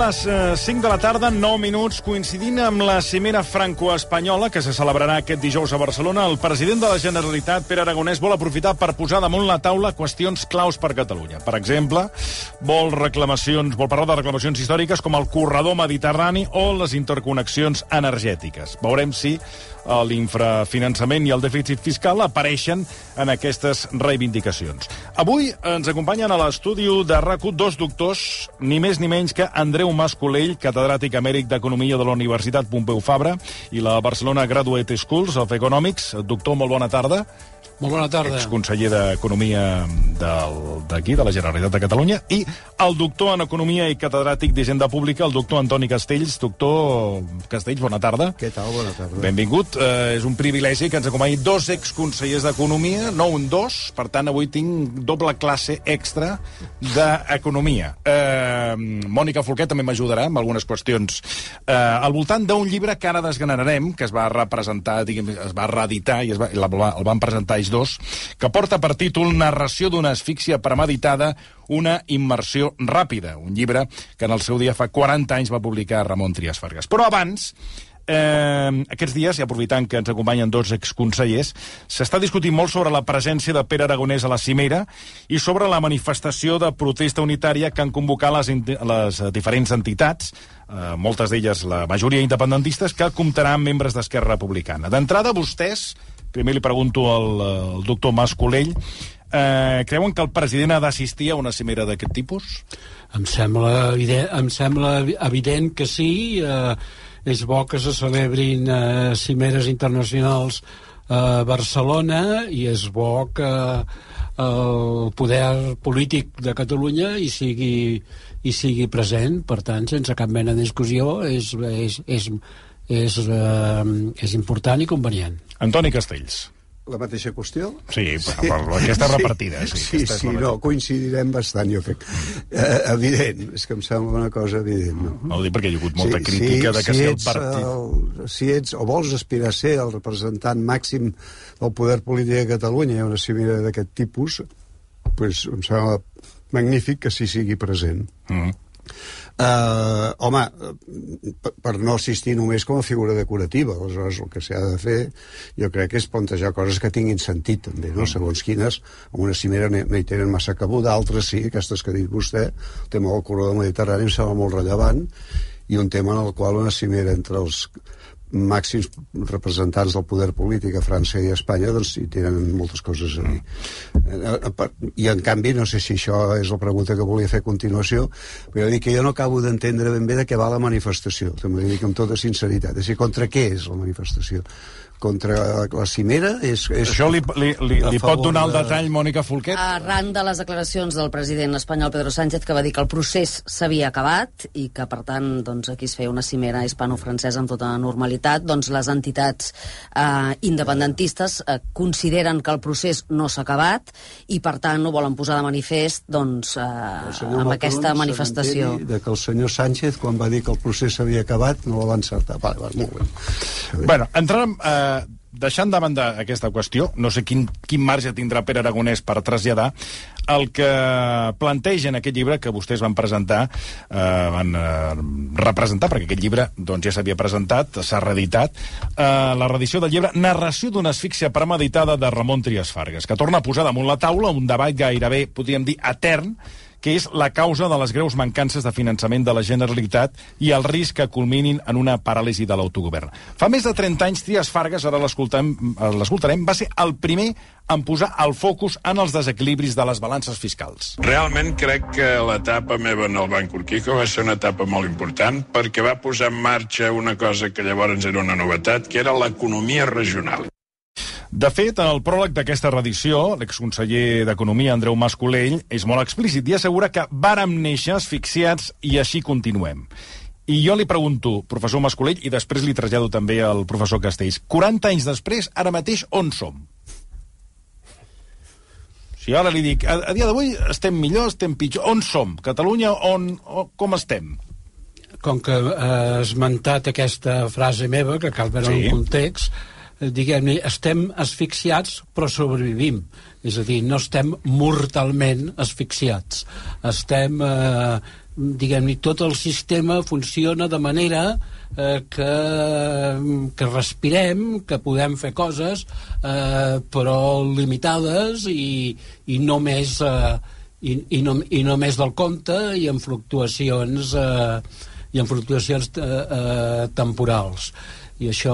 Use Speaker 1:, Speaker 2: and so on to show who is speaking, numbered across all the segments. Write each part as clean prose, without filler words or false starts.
Speaker 1: les 5 de la tarda, 9 minuts, coincidint amb la cimera franco-espanyola que se celebrarà aquest dijous a Barcelona. El president de la Generalitat, Pere Aragonès, vol aprofitar per posar damunt la taula qüestions claus per Catalunya. Per exemple, vol parlar de reclamacions històriques com el corredor mediterrani o les interconnexions energètiques. Veurem si l'infrafinançament i el dèficit fiscal apareixen en aquestes reivindicacions. Avui ens acompanyen a l'estudi de RAC1 dos doctors, ni més ni menys que Andreu Mas-Colell, catedràtic emèrit d'Economia de la Universitat Pompeu Fabra i la Barcelona Graduate Schools of Economics. Doctor, molt bona tarda.
Speaker 2: Molt bona tarda.
Speaker 1: Exconseller d'Economia d'aquí, de la Generalitat de Catalunya, i el doctor en Economia i catedràtic d'Hisenda Pública, el doctor Antoni Castells. Doctor Castells, bona tarda.
Speaker 3: Què tal? Bona tarda.
Speaker 1: Benvingut. És un privilegi que ens acompanyi dos exconsellers d'Economia, no un dos, per tant, avui tinc doble classe extra d'Economia. Mònica Folquet també m'ajudarà amb algunes qüestions al voltant d'un llibre que ara desgranarem, que es va representar, es va reeditar i el van presentar ells dos, que porta per títol Narració d'una asfíxia premeditada, una immersió ràpida, un llibre que en el seu dia fa 40 anys va publicar Ramon Trias Fargas. Però abans, aquests dies, i aprofitant que ens acompanyen dos exconsellers, s'està discutint molt sobre la presència de Pere Aragonès a la cimera i sobre la manifestació de protesta unitària que han convocat les diferents entitats, moltes d'elles la majoria independentistes, que comptarà amb membres d'Esquerra Republicana. D'entrada, vostès, primer li pregunto al doctor Mas-Colell, creuen que el president ha d'assistir a una cimera d'aquest tipus?
Speaker 2: Em sembla evident que sí. És bo que se celebrin cimeres internacionals a Barcelona i és bo que el poder polític de Catalunya hi sigui present. Per tant, sense cap mena de discussió, és important i convenient.
Speaker 1: Antoni Castells.
Speaker 3: La mateixa qüestió?
Speaker 1: Sí, per aquesta repartida.
Speaker 3: Sí, coincidirem bastant, jo crec. Evident, és que em sembla una cosa evident.
Speaker 1: No ho dic perquè hi ha hagut molta crítica de que si el partit...
Speaker 3: Si ets o vols aspirar a ser el representant màxim del poder polític de Catalunya i una cimera d'aquest tipus, doncs em sembla magnífic que s'hi sigui present. Home, per no assistir només com a figura decorativa, aleshores el que s'ha de fer jo crec que és plantejar coses que tinguin sentit també, no? Segons quines en una cimera no hi tenen massa cabuda, d'altres sí, aquestes que ha dit vostè. El tema del corredor mediterrani em sembla molt rellevant i un tema en el qual una cimera entre els màxims representants del poder polític a França i a Espanya doncs hi tenen moltes coses a dir. I en canvi no sé si això és la pregunta que volia fer a continuació, però dic que jo no acabo d'entendre ben bé de què va la manifestació, també dic amb tota sinceritat. És a dir, contra què és la manifestació? Contra la cimera?
Speaker 1: Això li pot donar el detall, Mònica Folquet?
Speaker 4: Arran de les declaracions del president espanyol Pedro Sánchez, que va dir que el procés s'havia acabat i que, per tant, doncs, aquí es feia una cimera hispano-francesa amb tota normalitat, doncs les entitats independentistes consideren que el procés no s'ha acabat i, per tant, ho volen posar de manifest doncs, amb aquesta manifestació.
Speaker 3: De que el senyor Sánchez, quan va dir que el procés s'havia acabat, no la va encertar. Vale, molt bé.
Speaker 1: Bueno, entrarem... Deixant de banda aquesta qüestió, no sé quin marge tindrà Pere Aragonès per traslladar el que planteja en aquest llibre que vostès van presentar, van representar, perquè aquest llibre doncs, ja s'havia presentat, s'ha reeditat, la reedició del llibre Narració d'una asfíxia premeditada de Ramon Trias Fargas, que torna a posar damunt la taula un debat gairebé, podríem dir, etern, que és la causa de les greus mancances de finançament de la Generalitat i el risc que culminin en una paràlisi de l'autogovern. Fa més de 30 anys, Trias Fargas, ara l'escoltarem, va ser el primer en posar el focus en els desequilibris de les balances fiscals.
Speaker 5: Realment crec que l'etapa meva en el Banc Urquijo va ser una etapa molt important perquè va posar en marxa una cosa que llavors era una novetat, que era l'economia regional.
Speaker 1: De fet, en el pròleg d'aquesta reedició, l'exconseller d'Economia, Andreu Mas-Colell, és molt explícit i assegura que vàrem néixer asfixiats i així continuem. I jo li pregunto, professor Mas-Colell, i després li trasllado també al professor Castells, 40 anys després, ara mateix, on som? Si ara li dic, a dia d'avui estem millor, estem pitjor, on som? Catalunya, com estem?
Speaker 2: Com que has esmentat aquesta frase meva, que cal veure el context, diguem-ne, estem asfixiats però sobrevivim. És a dir, no estem mortalment asfixiats. Estem diguem-ne, tot el sistema funciona de manera que respirem, que podem fer coses, però limitades i no més del compte i en fluctuacions temporals. I això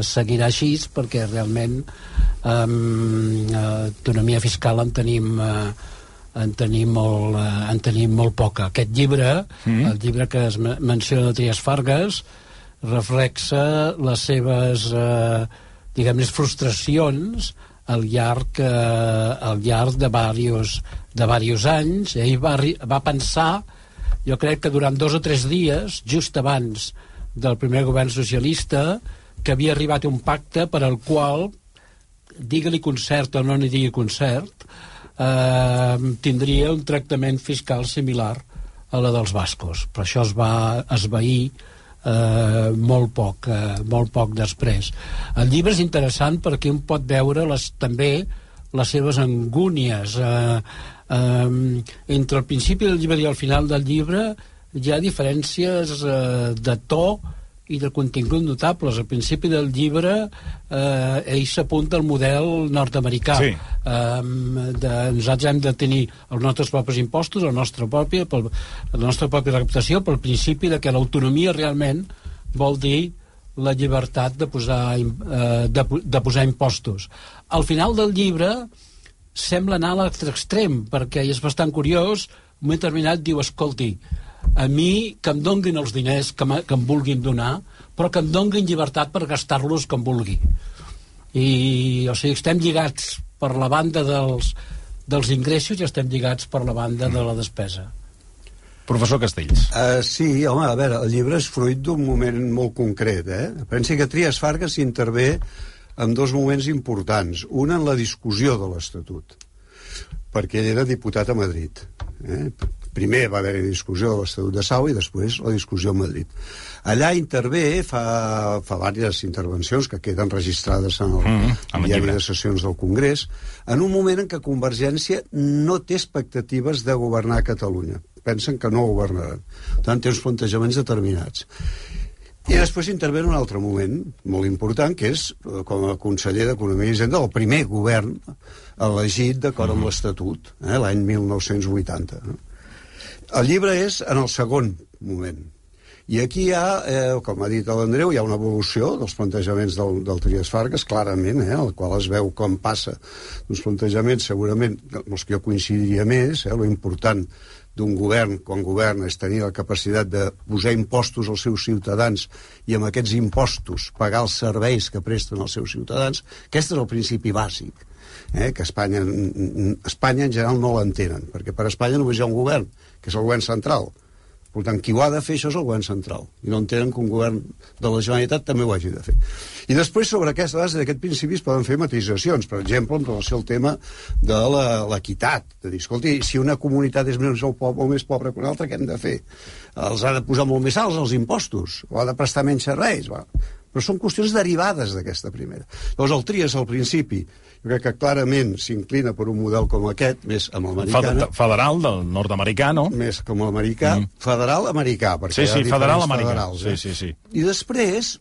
Speaker 2: seguirà així, perquè realment autonomia fiscal en tenim molt poca. Aquest llibre, el llibre que es menciona de Trias Fargas, reflexa les seves diguem-ne frustracions al llarg de diversos anys. Ell va pensar, jo crec que durant 2 o 3 dies, just abans del primer govern socialista, que havia arribat a un pacte per al qual, digue-li concert o no n'hi digui concert, tindria un tractament fiscal similar a la dels bascos. Però això es va esvair molt poc després. El llibre és interessant perquè un pot veure també les seves angúnies. Entre el principi del llibre i el final del llibre hi ha diferències de to i de contingut notables. Al principi del llibre ell s'apunta al model nord-americà. Sí. Nosaltres hem de tenir els nostres propis impostos, la nostra pròpia recaptació, pel principi de que l'autonomia realment vol dir la llibertat de posar impostos. Al final del llibre sembla anar a l'altre extrem, perquè és bastant curiós. Un moment determinat diu, escolti, a mi que em donguin els diners que em vulguin donar, però que em donguin llibertat per gastar-los com vulgui. O sigui, estem lligats per la banda dels ingressos i estem lligats per la banda de la despesa.
Speaker 1: Professor Castells.
Speaker 3: Sí, home, a veure, el llibre és fruit d'un moment molt concret, Pensi que Trias Fargas intervé en 2 moments importants. Un en la discussió de l'Estatut, perquè ell era diputat a Madrid. Primer va haver-hi discussió de l'Estatut de Sau i després la discussió a Madrid. Allà intervé, fa diverses intervencions que queden registrades en el diari de sessions del Congrés, en un moment en què Convergència no té expectatives de governar Catalunya. Pensen que no governaran. Per tant, té uns plantejaments determinats. I després intervé en un altre moment molt important, que és com a conseller d'Economia i Hisenda del primer govern elegit d'acord amb l'Estatut, l'any 1980. El llibre és en el segon moment. I aquí hi ha, com ha dit l'Andreu, hi ha una evolució dels plantejaments del Trias Fargas, clarament, el qual es veu com passa d'uns plantejaments, segurament, els que jo coincidiria més, lo important d'un govern, quan governa, és tenir la capacitat de posar impostos als seus ciutadans i amb aquests impostos pagar els serveis que presten als seus ciutadans. Aquest és el principi bàsic, que Espanya en general no l'entenen, perquè per Espanya només hi ha un govern, que és el govern central. Per tant, qui ho ha de fer, això és el govern central. I no entenen que un govern de la Generalitat també ho hagi de fer. I després, sobre aquesta base d'aquest principi, es poden fer matisacions. Per exemple, en relació al tema de l'equitat. De dir, escolti, si una comunitat és més pobra que una altra, què hem de fer? Els ha de posar molt més alts els impostos? O ha de prestar menys serveis? Però són qüestions derivades d'aquesta primera. Llavors, el Trias, al principi, jo crec que clarament s'inclina per un model com aquest, més amb l'americana.
Speaker 1: Federal, del nord-americà, no?
Speaker 3: Més com l'americà. Federal americà, perquè
Speaker 1: sí, federal americà. Sí.
Speaker 3: I després,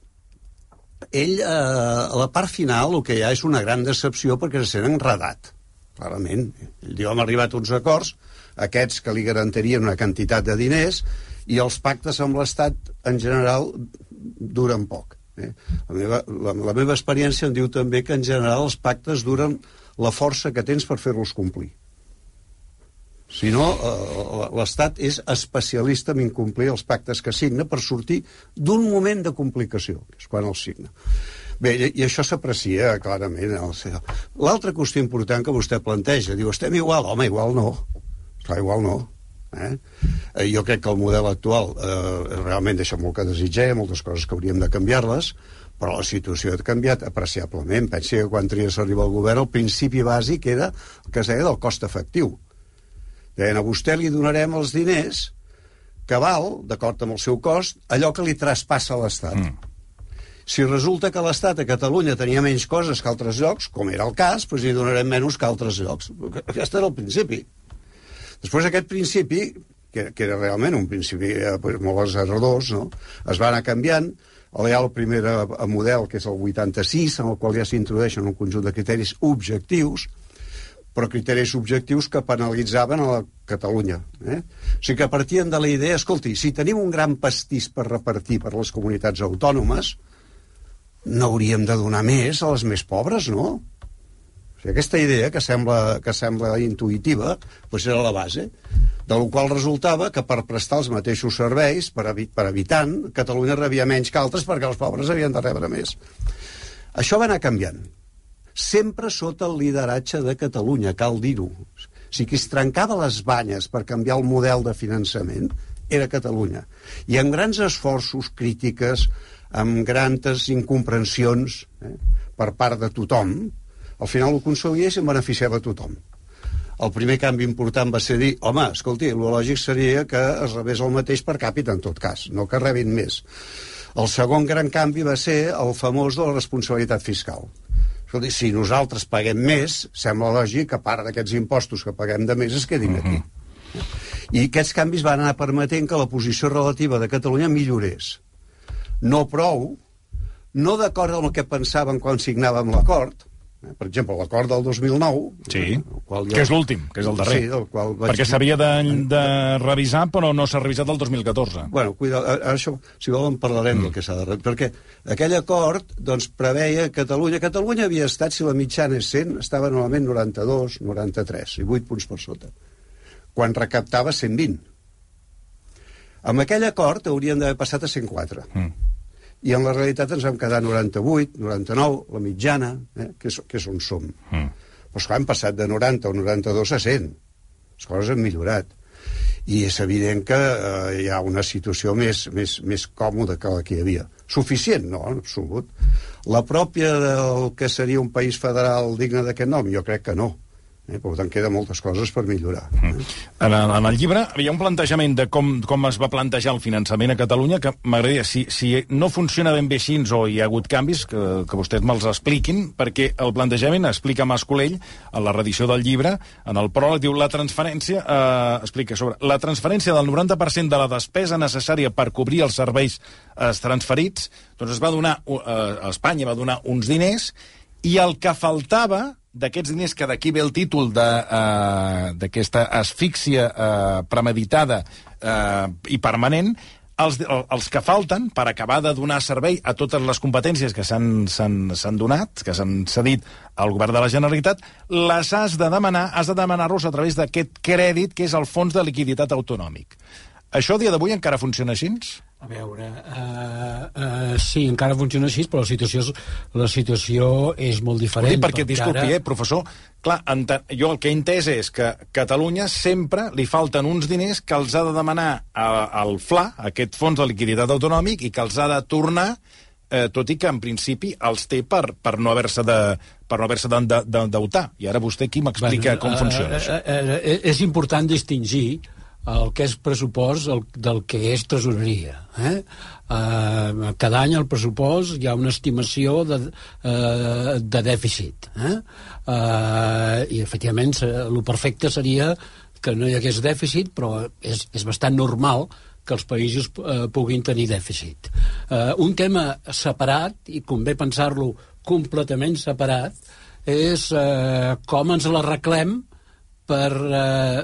Speaker 3: ell, a la part final, el que hi ha és una gran decepció perquè se sent enredat, clarament. Ell diu, hem arribat a uns acords, aquests que li garantirien una quantitat de diners, i els pactes amb l'Estat, en general, duren poc. La meva experiència em diu també que en general els pactes duren la força que tens per fer-los complir. Si no, l'Estat és especialista en incomplir els pactes que signa per sortir d'un moment de complicació, que és quan els signa. Bé, i això s'aprecia clarament. L'altra qüestió important que vostè planteja, diu, estem igual? Home, igual no. Clar, igual no. Jo crec que el model actual realment deixa molt que desitjar, moltes coses que hauríem de canviar-les, però la situació ha canviat apreciablement. Pensi que quan Trias arriba al govern el principi bàsic era el que es deia del cost efectiu. Deien, a vostè li donarem els diners que val, d'acord amb el seu cost, allò que li traspassa l'Estat. Si resulta que l'Estat a Catalunya tenia menys coses que altres llocs, com era el cas, doncs li donarem menys que altres llocs. Aquest era el principi. Després aquest principi, que era realment un principi molt aserrador, no? Es va anar canviant. Hi ha el primer model, que és el 86, en el qual ja s'introdueixen un conjunt de criteris objectius, però criteris objectius que penalitzaven a la Catalunya. O sigui que partien de la idea, escolti, si tenim un gran pastís per repartir per les comunitats autònomes, no hauríem de donar més a les més pobres, no? O sigui, aquesta idea, que sembla intuïtiva, doncs era la base, de la qual resultava que per prestar els mateixos serveis per habitant, Catalunya rebia menys que altres perquè els pobres havien de rebre més. Això va anar canviant. Sempre sota el lideratge de Catalunya, cal dir-ho. O sigui, qui es trencava les banyes per canviar el model de finançament era Catalunya. I amb grans esforços, crítiques, amb grans incomprensions per part de tothom, al final ho aconseguia i se'n beneficiava tothom. El primer canvi important va ser dir, home, escolti, el lògic seria que es rebés el mateix per càpita en tot cas, no que rebin més. El segon gran canvi va ser el famós de la responsabilitat fiscal. Escolti, si nosaltres paguem més, sembla lògic que part d'aquests impostos que paguem de més es quedin aquí. I aquests canvis van anar permetent que la posició relativa de Catalunya millorés. No prou, no d'acord amb el que pensàvem quan signàvem l'acord. Per exemple, l'acord del 2009...
Speaker 1: Sí, que és l'últim, que és el darrer.
Speaker 3: Sí, del qual
Speaker 1: perquè s'havia de revisar, però no s'ha revisat el 2014.
Speaker 3: Bueno, això, si volen, parlarem del que s'ha de revisar. Perquè aquell acord doncs, preveia Catalunya... Catalunya havia estat, si la mitjana és 100, estava normalment 92, 93, i 8 punts per sota. Quan recaptava 120. Amb aquell acord haurien d'haver passat a 104. I en la realitat ens vam quedar 98, 99, la mitjana, que és on som. Però esclar, hem passat de 90 o 92 a 100. Les coses han millorat. I és evident que hi ha una situació més còmoda que la que hi havia. Suficient? No, en absolut. La pròpia del que seria un país federal digne d'aquest nom? Jo crec que no. Per tant, queden moltes coses per millorar.
Speaker 1: En el llibre hi ha un plantejament de com es va plantejar el finançament a Catalunya que m'agradaria, si no funciona ben bé així o hi ha hagut canvis, que vostès me'ls expliquin, perquè el plantejament explica Mas Colell a la reedició del llibre, en el pròleg diu la transferència, explica sobre la transferència del 90% de la despesa necessària per cobrir els serveis transferits, doncs es va donar, Espanya va donar uns diners, i el que faltava d'aquests diners, que d'aquí ve el títol d'aquesta asfíxia premeditada i permanent, els que falten per acabar de donar servei a totes les competències que s'han donat, que s'han cedit al govern de la Generalitat, les has de demanar-los a través d'aquest crèdit que és el Fons de Liquiditat Autonòmic. Això a dia d'avui encara funciona així?
Speaker 2: A veure, sí, encara funciona així, però la situació és molt diferent.
Speaker 1: Perquè, disculpi, professor, clar, jo el que he entès és que a Catalunya sempre li falten uns diners que els ha de demanar al FLA, aquest Fons de Liquiditat Autonòmic, i que els ha de tornar, tot i que en principi els té per no haver-se d'endeutar. I ara vostè aquí m'explica com funciona això.
Speaker 2: És important distingir el que és pressupost del que és tresoreria. Cada any al pressupost hi ha una estimació de dèficit. I, efectivament, el perfecte seria que no hi hagués dèficit, però és bastant normal que els països puguin tenir dèficit. Un tema separat, i convé pensar-lo completament separat, és com ens l'arreglem per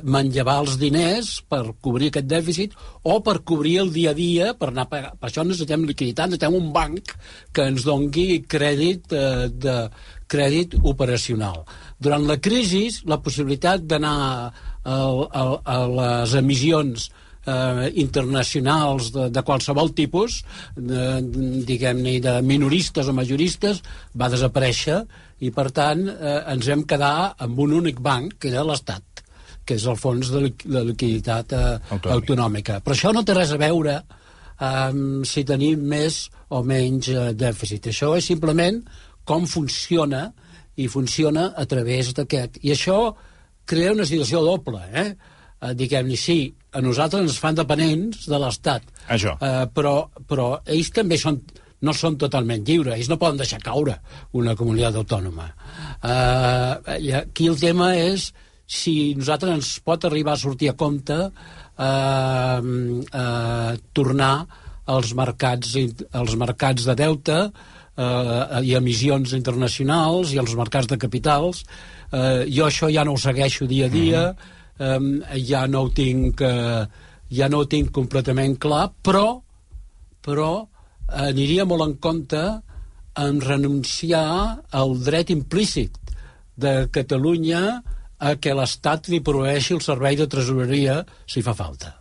Speaker 2: manllevar els diners, per cobrir aquest dèficit, o per cobrir el dia a dia, per anar a pagar. Per això necessitem liquiditat, necessitem un banc que ens doni crèdit operacional. Durant la crisi, la possibilitat d'anar a les emissions internacionals de qualsevol tipus, diguem-ne, de minoristes o majoristes, va desaparèixer, i per tant ens hem quedar amb un únic banc, que era l'Estat, que és el Fons de Liquiditat Autonòmica. Però això no té res a veure si tenim més o menys dèficit. Això és simplement com funciona, i funciona a través d'aquest. I això crea una situació doble, diguem-ne, sí, a nosaltres ens fan dependents de l'Estat, però ells també no són totalment lliures, ells no poden deixar caure una comunitat autònoma. I aquí el tema és si nosaltres ens pot arribar a sortir a compte tornar als mercats de deute i emissions internacionals i als mercats de capitals. Jo això ja no ho segueixo dia a dia, ja no ho tinc completament clar, però aniria molt en compte en renunciar al dret implícit de Catalunya a que l'Estat li proveeixi el servei de tresoreria si fa falta.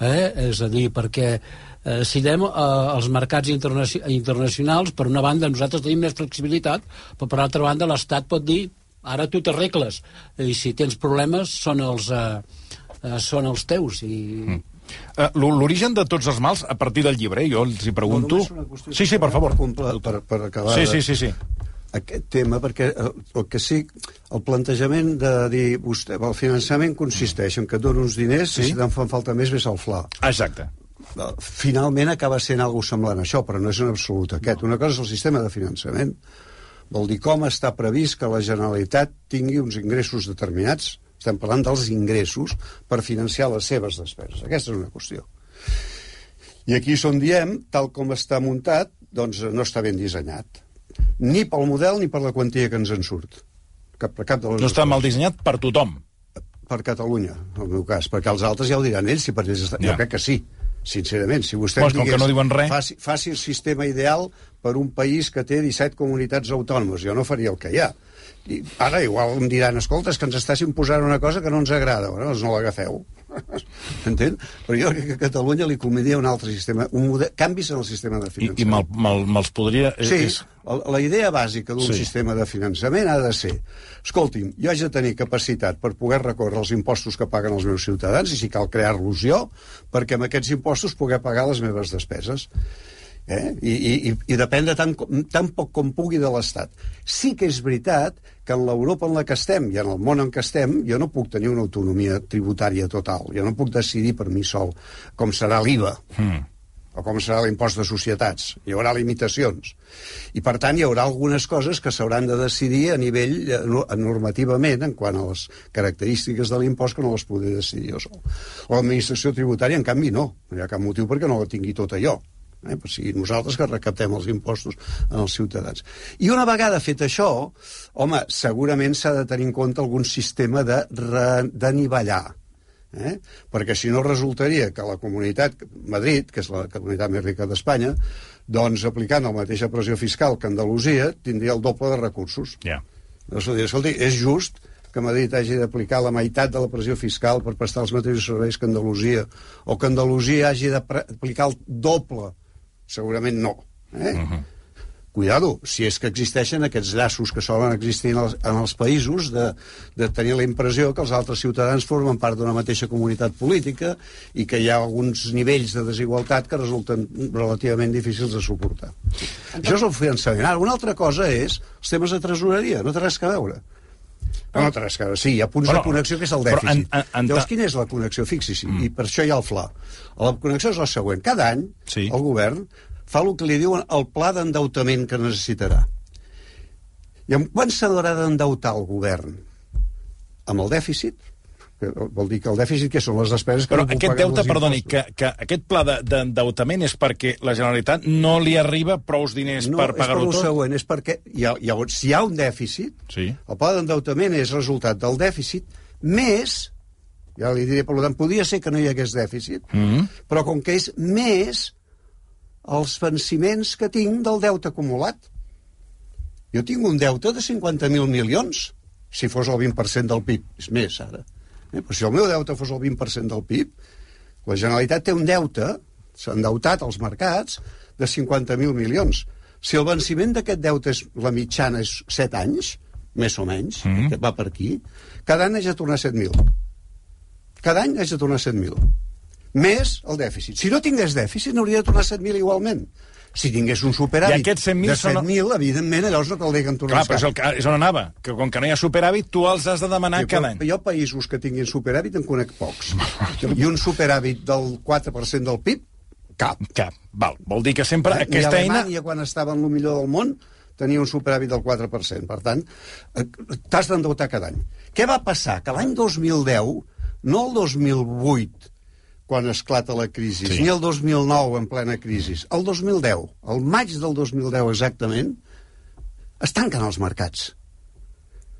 Speaker 2: És a dir, perquè si anem als mercats internacionals, per una banda nosaltres tenim més flexibilitat, però per altra banda l'Estat pot dir ara tu t'arregles, i si tens problemes són els teus.
Speaker 1: L'origen de tots els mals, a partir del llibre, jo els hi pregunto... Sí, per favor.
Speaker 3: Per acabar
Speaker 1: sí.
Speaker 3: Aquest tema, perquè el plantejament de dir vostè, el finançament consisteix en que et dono uns diners i si te'n fan falta més ves al fla.
Speaker 1: Exacte.
Speaker 3: Finalment acaba sent alguna cosa semblant a això, però no és en absolut aquest. Una cosa és el sistema de finançament, vol dir com està previst que la Generalitat tingui uns ingressos determinats, estem parlant dels ingressos, per financiar les seves despeses. Aquesta és una qüestió. I aquí és on diem, tal com està muntat, doncs no està ben dissenyat. Ni pel model ni per la quantia que ens en surt. Cap de les
Speaker 1: no està mal dissenyat per tothom.
Speaker 3: Per Catalunya, en el meu cas, perquè els altres ja ho diran ells, si per ells està... Jo crec que sí, sincerament. Si vostè
Speaker 1: com que no diuen res...
Speaker 3: Faci el sistema ideal per un país que té 17 comunitats autònomes. Jo no faria el que hi ha. I ara igual em diran, escolta, és que ens estàs imposant una cosa que no ens agrada. Bueno, doncs no l'agafeu. Entén? Però jo crec que a Catalunya li convindria un altre sistema, canvis en el sistema de finançament.
Speaker 1: I me'ls podria...
Speaker 3: Sí, la idea bàsica d'un sistema de finançament ha de ser, escolti'm, jo haig de tenir capacitat per poder recórrer els impostos que paguen els meus ciutadans, i si cal crear-los jo, perquè amb aquests impostos poder pagar les meves despeses. I depèn de tan poc com pugui de l'Estat. Sí que és veritat que en l'Europa en la que estem i en el món en què estem jo no puc tenir una autonomia tributària total, jo no puc decidir per mi sol com serà l'IVA o com serà l'impost de societats, hi haurà limitacions i per tant hi haurà algunes coses que s'hauran de decidir a nivell normativament en quant a les característiques de l'impost que no les podré decidir jo sol. L'administració tributària en canvi no hi ha cap motiu perquè no la tingui tota jo. Per si nosaltres que recaptem els impostos en els ciutadans. I una vegada fet això, home, segurament s'ha de tenir en compte algun sistema d'anivellar. Perquè si no resultaria que la comunitat, Madrid, que és la comunitat més rica d'Espanya, doncs aplicant la mateixa pressió fiscal que Andalusia, tindria el doble de recursos. Escolti, és just que Madrid hagi d'aplicar la meitat de la pressió fiscal per prestar els mateixos serveis que Andalusia, o que Andalusia hagi d'aplicar el doble. Segurament no. Cuidado, si és que existeixen aquests llaços que solen existir en els països de tenir la impressió que els altres ciutadans formen part d'una mateixa comunitat política i que hi ha alguns nivells de desigualtat que resulten relativament difícils de suportar. Això és el finançament. Ara, una altra cosa és els temes de tresoreria, no té res a veure. No té res a veure, sí, hi ha punts de connexió que és el dèficit. Llavors, quina és la connexió? Fixi-s'hi, i per això hi ha el FLA. La connexió és la següent. Cada any, el govern fa el que li diuen el pla d'endeutament que necessitarà. I amb quan s'haurà d'endeutar el govern? Amb el dèficit? Vol dir que el dèficit, que són les despeses que
Speaker 1: no puc pagar amb els impostos. Però aquest deute, perdoni, que aquest pla d'endeutament és perquè la Generalitat no li arriba prous diners per pagar-ho tot?
Speaker 3: No, és per el següent, és perquè si hi ha un dèficit, el pla d'endeutament és resultat del dèficit, més, ja li diré, per tant, podria ser que no hi hagués dèficit, però com que és més els venciments que tinc del deute acumulat. Jo tinc un deute de 50.000 milions, si fos el 20% del PIB, és més ara. Però si el meu deute fos el 20% del PIB, la Generalitat té un deute, s'ha endeutat als mercats, de 50.000 milions. Si el venciment d'aquest deute la mitjana és 7 anys, més o menys, que va per aquí, cada any haig de tornar 7.000. Cada any haig de tornar 7.000. Més el dèficit. Si no tingués dèficit, n'hauria de tornar 7.000 igualment. Si tingués un superàvit de 7.000, evidentment, llavors no caldria que en tornés.
Speaker 1: Clar, però és on anava, que com que no hi ha superàvit, tu els has de demanar cada any.
Speaker 3: Jo països que tinguin superàvit en conec pocs. I un superàvit del 4% del PIB, cap.
Speaker 1: Val. Vol dir que sempre aquesta eina...
Speaker 3: I Alemanya, quan estava en el millor del món, tenia un superàvit del 4%. Per tant, t'has d'endeutar cada any. Què va passar? Que l'any 2010, no el 2008, quan esclata la crisi, ni el 2009 en plena crisi, el 2010, el maig del 2010 exactament, es tanquen els mercats.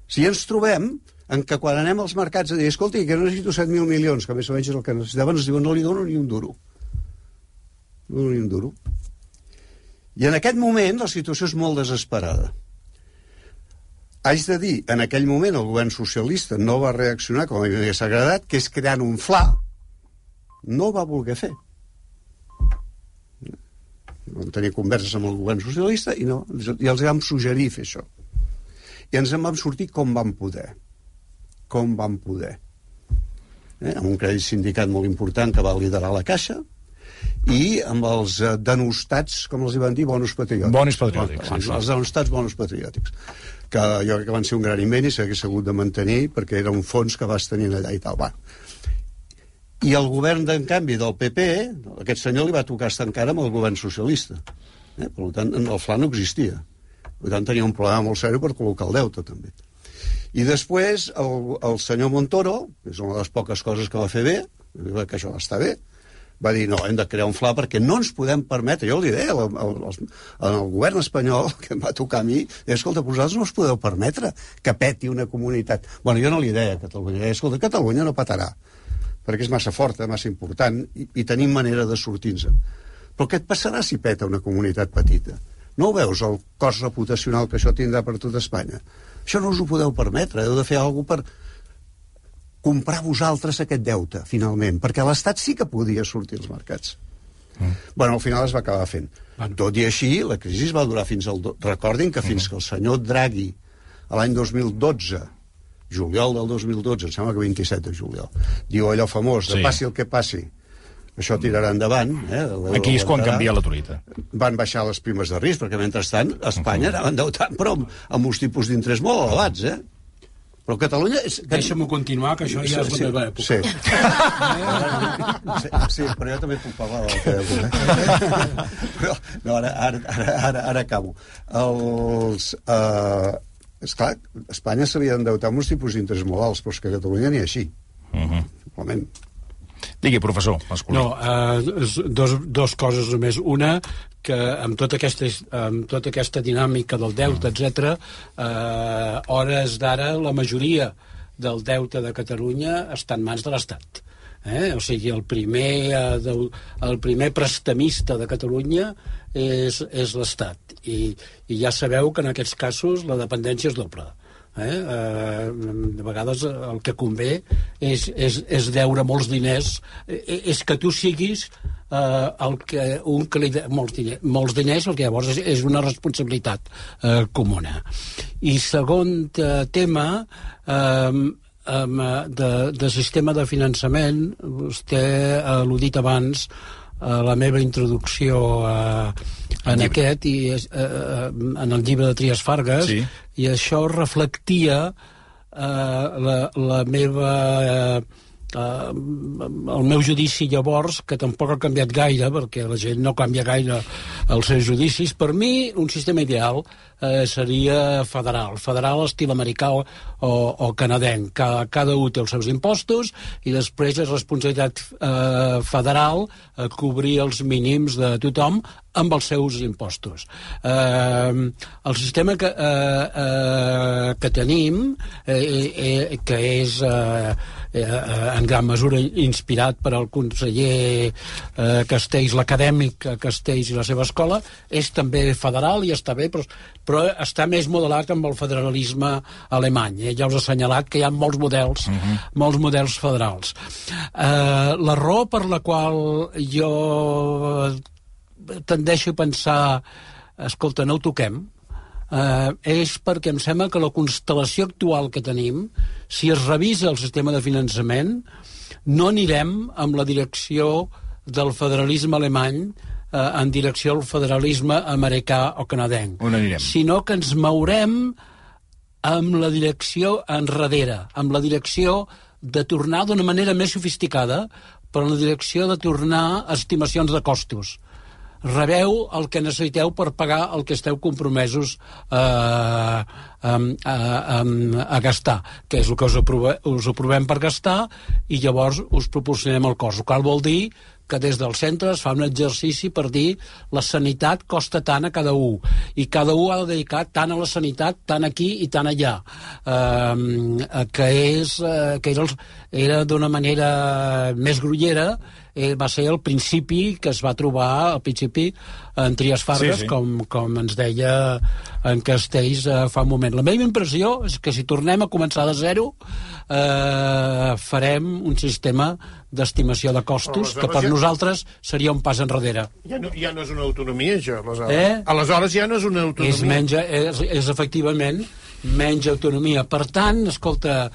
Speaker 3: Si ens trobem en què quan anem als mercats a dir escolti, que necessito 7.000 milions, que més o menys és el que necessitaven, ens diuen no li dono ni un duro. No dono ni un duro. I en aquest moment la situació és molt desesperada. Haig de dir, en aquell moment el govern socialista no va reaccionar com a mi m'hagués agradat, que és creant un fla. No ho va voler fer. Vam tenir converses amb el govern socialista i els vam suggerir fer això. I ens en vam sortir com vam poder. Com vam poder. Amb un crèdit sindicat molt important que va liderar la Caixa i amb els denostats, com els hi van dir, bonos patriòtics.
Speaker 1: Bonos patriòtics.
Speaker 3: Els denostats bonos patriòtics. Que jo crec que van ser un gran invent i s'hagués hagut de mantenir perquè era un fons que vas tenint allà i tal. Va. I el govern, en canvi, del PP, aquest senyor li va tocar estar encara amb el govern socialista. Per tant, el fla no existia. Per tant, tenia un problema molt seriós per col·locar el deute, també. I després, el senyor Montoro, que és una de les poques coses que va fer bé, que això està bé, va dir, no, hem de crear un fla perquè no ens podem permetre, jo li deia al govern espanyol, que em va tocar a mi, escolta, vosaltres no us podeu permetre que peti una comunitat. Bueno, jo no li deia a Catalunya, escolta, Catalunya no petarà, perquè és massa forta, massa important, i tenim manera de sortir-nos. Però què et passarà si peta una comunitat petita? No ho veus, el cost reputacional que això tindrà per tot Espanya? Això no us ho podeu permetre, heu de fer alguna cosa per comprar vosaltres aquest deute, finalment, perquè l'Estat sí que podia sortir als mercats. Bueno, al final es va acabar fent. Tot i així, la crisi va durar fins al... Recordin que fins que el senyor Draghi, a l'any 2012, juliol del 2012, em sembla que 27 de juliol, diu allò famós, de passi el que passi, això tirarà endavant.
Speaker 1: Aquí és quan canvia la truita.
Speaker 3: Van baixar les primes de risc, perquè mentrestant Espanya anava endeutant, però amb uns tipus d'interès molt elevats, Però Catalunya...
Speaker 2: Deixa'm-ho continuar, que això ja és la meva època.
Speaker 3: Sí, però jo també puc parlar de la teva època. Però, no, ara acabo. Esclar, Espanya s'havia d'endeutar amb uns tipus d'interès molt alts, però és que a Catalunya ni així. Simplement.
Speaker 1: Digui, professor masculí.
Speaker 2: No, dos coses només. Una, que amb tota aquesta dinàmica del deute, etc., hores d'ara la majoria del deute de Catalunya està en mans de l'Estat. O sigui, el primer prestamista de Catalunya és l'Estat. I ja sabeu que en aquests casos la dependència és doble. De vegades el que convé és deure molts diners, és que tu siguis un que li molts diners, el que llavors és una responsabilitat comuna. I segon tema, de sistema de finançament, vostè ha al·ludit abans la meva introducció en aquest i en el llibre de Trias Fargas, sí. I això reflectia la meva el meu judici llavors, que tampoc ha canviat gaire, perquè la gent no canvia gaire els seus judicis. Per mi, un sistema ideal seria federal estil americà o canadenc. Cada un té els seus impostos i després és responsabilitat federal cobrir els mínims de tothom amb els seus impostos. El sistema que tenim, que és en gran mesura inspirat per al conseller Castells, l'acadèmic Castells i la seva escola, és també federal i està bé, però està més modelat amb el federalisme alemany. Ja us he assenyalat que hi ha molts models federals. La raó per la qual jo tendeixo a pensar, escolta, no ho toquem, és perquè em sembla que la constel·lació actual que tenim, si es revisa el sistema de finançament, no anirem amb la direcció del federalisme alemany en direcció al federalisme americà o canadenc, sinó que ens mourem amb la direcció enrere, amb la direcció de tornar d'una manera més sofisticada, però en la direcció de tornar a estimacions de costos. rebeu el que necessiteu per pagar el que esteu compromesos a gastar, que és el que us aprovem per gastar, i llavors us proporcionem el cost. El qual vol dir que des del centre es fa un exercici per dir la sanitat costa tant a cada un, i cada un ha de dedicar tant a la sanitat, tant aquí i tant allà, que era d'una manera més grollera. Va ser el principi que es va trobar al principi en Trias Fargas, com ens deia en Castells fa un moment. La meva impressió és que si tornem a començar de zero farem un sistema d'estimació de costos que per nosaltres seria un pas enrere.
Speaker 6: Ja no és una autonomia, això, aleshores. Aleshores ja no és una autonomia.
Speaker 2: És efectivament menys autonomia. Per tant, escolta,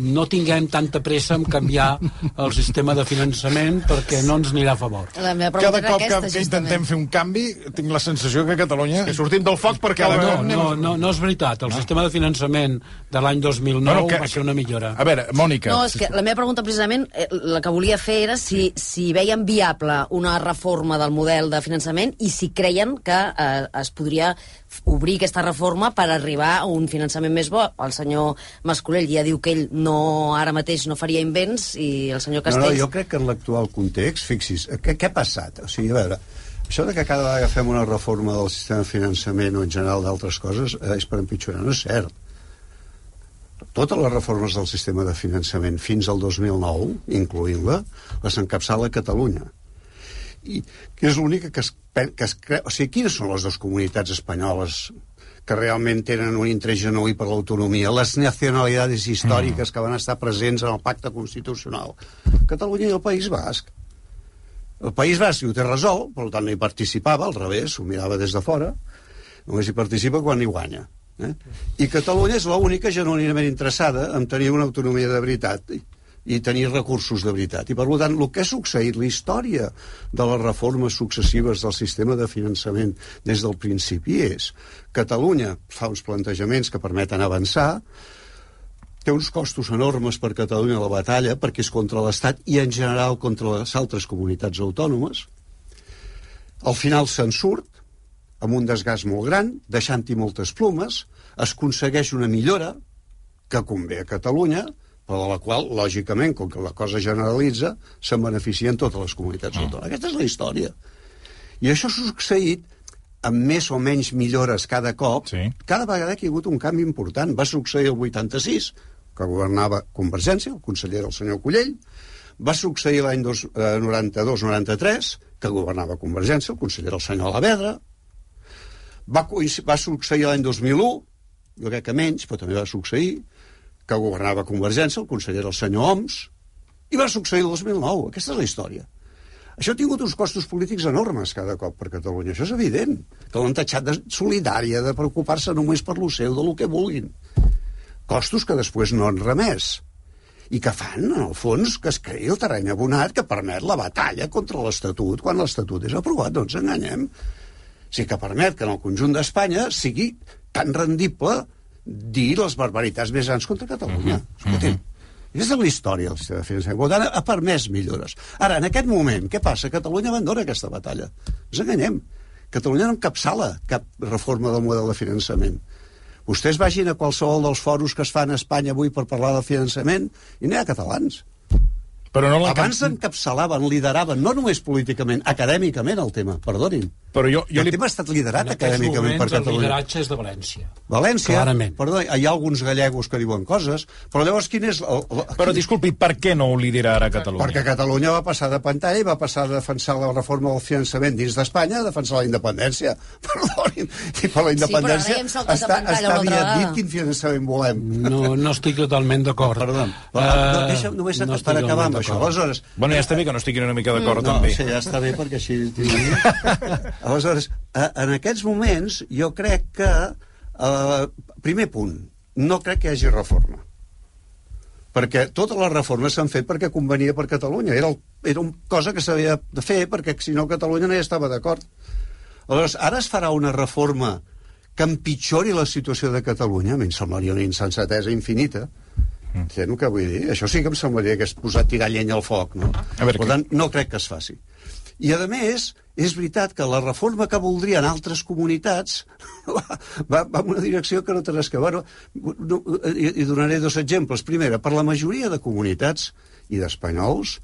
Speaker 2: no tinguem tanta pressa en canviar el sistema de finançament perquè no ens anirà a favor.
Speaker 1: Cada cop que intentem fer un canvi, tinc la sensació que a Catalunya...
Speaker 6: Que sortim del foc perquè...
Speaker 2: No és veritat. El sistema de finançament de l'any 2009 va ser una millora.
Speaker 1: A veure, Mònica...
Speaker 4: No, és que la meva pregunta precisament, la que volia fer era si veien viable una reforma del model de finançament i si creien que es podria obrir aquesta reforma per arribar a un finançament més bo. El senyor Mascolell ja diu que ell ara mateix no faria invents, i el senyor Castells...
Speaker 3: No, jo crec que en l'actual context, fixi's, què ha passat? O sigui, a veure, això de que cada vegada fem una reforma del sistema de finançament o en general d'altres coses és per empitjorar, no és cert. Totes les reformes del sistema de finançament fins al 2009, incloent-la, les encapçala Catalunya. I que és l'única que es creu... O sigui, quines són les dues comunitats espanyoles que realment tenen un interès genuí per l'autonomia, les nacionalitats històriques que van estar presents en el pacte constitucional? Catalunya i el País Basc. El País Basc ho té resolt, per tant no hi participava, al revés, ho mirava des de fora, només hi participa quan hi guanya. I Catalunya és l'única genuïnament interessada en tenir una autonomia de veritat i tenir recursos de veritat. I, per tant, el que ha succeït, la història de les reformes successives del sistema de finançament des del principi és Catalunya fa uns plantejaments que permeten avançar, té uns costos enormes per Catalunya a la batalla, perquè és contra l'Estat i, en general, contra les altres comunitats autònomes. Al final se'n surt, amb un desgast molt gran, deixant-hi moltes plomes, es aconsegueix una millora que convé a Catalunya, però de la qual, lògicament, com que la cosa generalitza, se'n beneficien totes les comunitats autònomes. Aquesta és la història. I això s'ha succeït amb més o menys millores cada cop, cada vegada que hi ha hagut un canvi important. Va succeir el 86, que governava Convergència, el conseller el senyor Collell, va succeir l'any 92-93, que governava Convergència, el conseller el senyor Alavedra, va succeir l'any 2001, jo crec que menys, però també va succeir, que governava Convergència, el conseller el senyor Homs, i va succeir el 2009. Aquesta és la història. Això ha tingut uns costos polítics enormes cada cop per Catalunya. Això és evident, que l'han tatxat de solidària, de preocupar-se només per lo seu, de lo que vulguin. Costos que després no han remès. I que fan, en el fons, que es creï el terreny abonat que permet la batalla contra l'Estatut quan l'Estatut és aprovat. No ens enganyem. O sigui, que permet que en el conjunt d'Espanya sigui tan rendible dir les barbaritats més grans contra Catalunya. Escolti'm, aquesta és la història del sistema de finançament. Per tant, ha permès millores. Ara, en aquest moment, què passa? Catalunya abandona aquesta batalla. No ens enganyem. Catalunya no encapçala cap reforma del model de finançament. Vostès vagin a qualsevol dels foros que es fan a Espanya avui per parlar del finançament i no hi ha catalans.
Speaker 1: Però no
Speaker 3: abans encapçalaven, lideraven, no només políticament, acadèmicament el tema, perdonin.
Speaker 1: Però
Speaker 3: el tema ha estat liderat acadèmicament per Catalunya.
Speaker 2: El lideratge és de València.
Speaker 3: València,
Speaker 2: clarament.
Speaker 3: Perdó, hi ha alguns gallegos que diuen coses, però llavors quin és...
Speaker 1: Però disculpi, per què no ho lidera Catalunya?
Speaker 3: Perquè Catalunya va passar de pantalla i va passar de defensar la reforma del finançament dins d'Espanya a defensar la independència. Perdonin, i per la independència està aviat dit quin finançament volem.
Speaker 2: No estic totalment d'acord.
Speaker 3: Perdó, deixa'm només per acabar amb això. Aleshores...
Speaker 1: Bueno, ja està bé que no estiguin una mica d'acord, també.
Speaker 3: No, sí, ja està bé, perquè així... Aleshores, en aquests moments, jo crec que... primer punt, no crec que hi hagi reforma. Perquè totes les reformes s'han fet perquè convenia per Catalunya. Era una cosa que s'havia de fer, perquè si no Catalunya no hi estava d'acord. Aleshores, ara es farà una reforma que empitjori la situació de Catalunya. A mi em semblaria una insensatesa infinita. Entens el que vull dir? Això sí que em semblaria que és posar tirar llenya al foc, no? Per tant, no crec que es faci. I, a més, és veritat que la reforma que voldrien altres comunitats va en una direcció que no té res que veure. I donaré 2 exemples. Primera, per la majoria de comunitats i d'espanyols,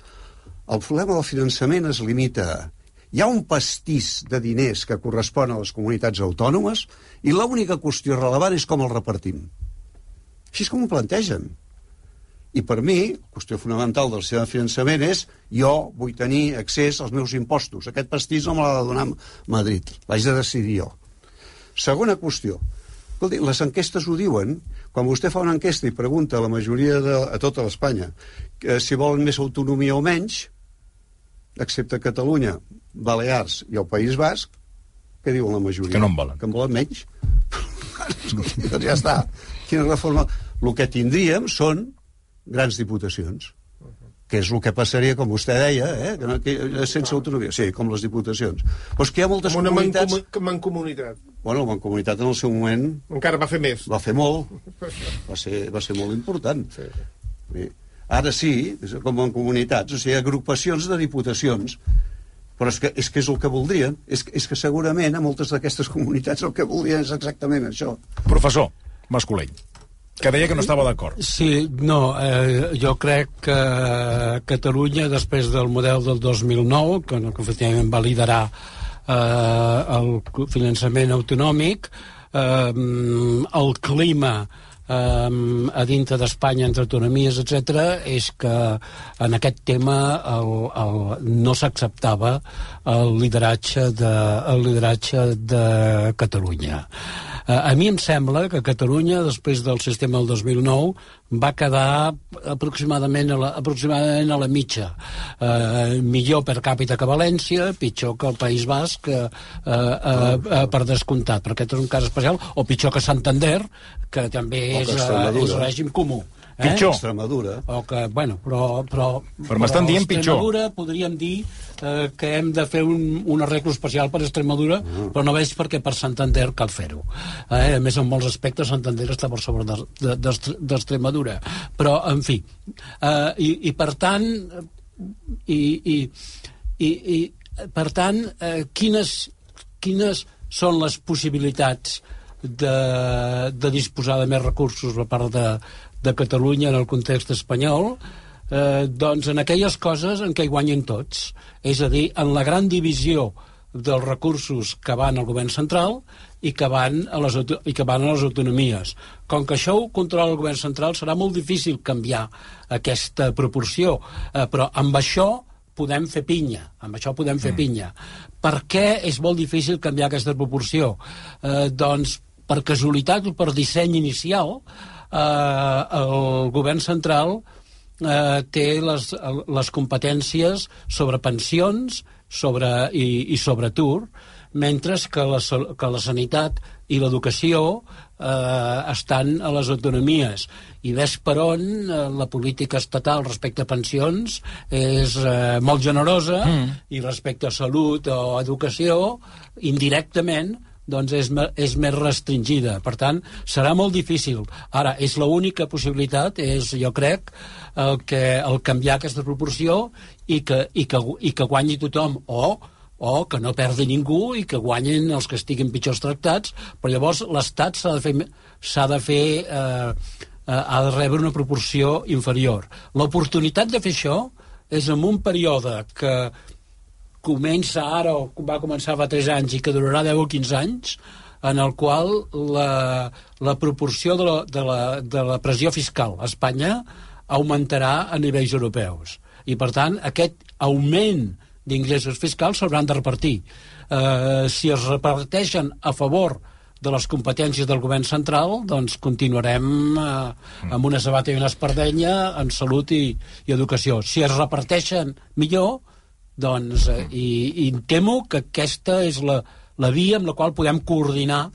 Speaker 3: el problema del finançament es limita a... Hi ha un pastís de diners que correspon a les comunitats autònomes i l'única qüestió relevant és com el repartim. Així és com ho plantegen. I per mi, la qüestió fonamental del sistema de finançament és jo vull tenir accés als meus impostos. Aquest pastís no me l'ha de donar Madrid. L'haig de decidir jo. Segona qüestió. Escolti, les enquestes ho diuen. Quan vostè fa una enquesta i pregunta a la majoria a tota l'Espanya si volen més autonomia o menys, excepte Catalunya, Balears i el País Basc, què diuen la majoria?
Speaker 1: Que no en volen.
Speaker 3: Que en volen menys. Doncs ja està. Quina reforma? El que tindríem són grans diputacions, que és el que passaria, com vostè deia, sense autonomia. Sí, com les diputacions. Però és que hi ha moltes comunitats...
Speaker 6: Una mancomunitat.
Speaker 3: Bueno, la mancomunitat en el seu moment...
Speaker 6: Encara va fer més.
Speaker 3: Va fer molt. Va ser molt important. Sí. Ara sí, com en comunitats, o sigui, agrupacions de diputacions. Però és que és el que voldrien. És que segurament a moltes d'aquestes comunitats el que voldrien és exactament això.
Speaker 1: Professor Mascolell, que deia que no estava d'acord.
Speaker 2: Sí, no, jo crec que Catalunya, després del model del 2009, que efectivament va liderar el finançament autonòmic, el clima a dintre d'Espanya entre autonomies, etc., és que en aquest tema no s'acceptava el lideratge de Catalunya. A mi em sembla que Catalunya, després del sistema del 2009, va quedar aproximadament a la mitja. Millor per càpita que València, pitjor que el País Basc, per descomptat, perquè aquest és un cas especial, o pitjor que Santander, que també és règim comú.
Speaker 1: Pitjor.
Speaker 3: Extremadura.
Speaker 2: O que, bueno, però
Speaker 1: m'estan dient pitjor.
Speaker 2: Extremadura podríem dir que hem de fer un arreglo especial per Extremadura, però no veig perquè per Santander cal fer-ho. A més, en molts aspectes Santander està per sobre d'Extremadura. Però, en fi, i per tant, per tant, quines són les possibilitats de disposar de més recursos per part de Catalunya en el context espanyol? Doncs en aquelles coses en què hi guanyen tots, és a dir, en la gran divisió dels recursos que van al govern central i que van a les autonomies. Com que això ho controla el govern central, serà molt difícil canviar aquesta proporció, però amb això podem fer pinya. Per què és molt difícil canviar aquesta proporció? Doncs per casualitat o per disseny inicial, el govern central té les competències sobre pensions i sobre atur, mentre que la sanitat i l'educació estan a les autonomies. I ves per on la política estatal respecte a pensions és molt generosa i respecte a salut o educació, indirectament, doncs és més restringida. Per tant, serà molt difícil. Ara, és l'única possibilitat, jo crec, el canviar aquesta proporció i que guanyi tothom, o que no perdi ningú i que guanyin els que estiguin pitjors tractats, però llavors l'Estat ha de rebre una proporció inferior. L'oportunitat de fer això és en un període que comença ara, o va començar fa 3 anys i que durarà 10 o 15 anys, en el qual la proporció de la pressió fiscal a Espanya augmentarà a nivells europeus. I, per tant, aquest augment d'ingressos fiscals s'hauran de repartir. Si es reparteixen a favor de les competències del govern central, doncs continuarem amb una sabata i una espardenya en salut i educació. Si es reparteixen millor, doncs, i temo que aquesta és la via amb la qual podem coordinar